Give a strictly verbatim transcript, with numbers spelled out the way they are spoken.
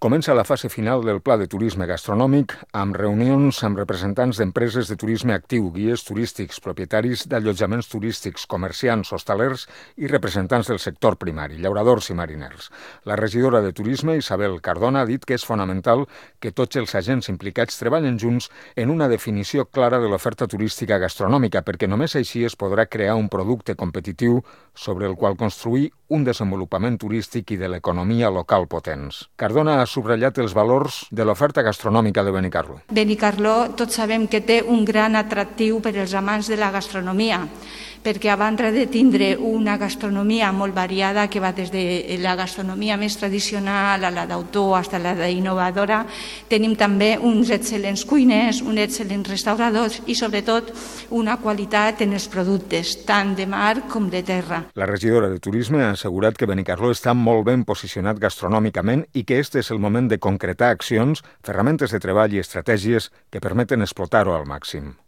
Comença la fase final del Pla de Turisme Gastronòmic amb reunions amb representants d'empreses de turisme actiu, guies turístics, propietaris d'allotjaments turístics, comerciants, hostalers i representants del sector primari, llauradors i mariners. La regidora de Turisme, Isabel Cardona, ha dit que és fonamental que tots els agents implicats treballen junts en una definició clara de l'oferta turística gastronòmica, perquè només així es podrà crear un producte competitiu sobre el qual construir un desenvolupament turístic i de l'economia local potents. Cardona ha subratllat els valors de l'oferta gastronòmica de Benicarló. Benicarló tots sabem que té un gran atractiu per als amants de la gastronomia, perquè a banda de tindre una gastronomia molt variada que va des de la gastronomia més tradicional a la d'autor fins a la d'innovadora, tenim també uns excel·lents cuiners, uns excel·lents restauradors i sobretot una qualitat en els productes, tant de mar com de terra. La regidora de Turisme ha assegurat que Benicarló està molt ben posicionat gastronòmicament i que este és el moment de concretar accions, ferramentes de treball i estratègies que permeten explotar-ho al màxim.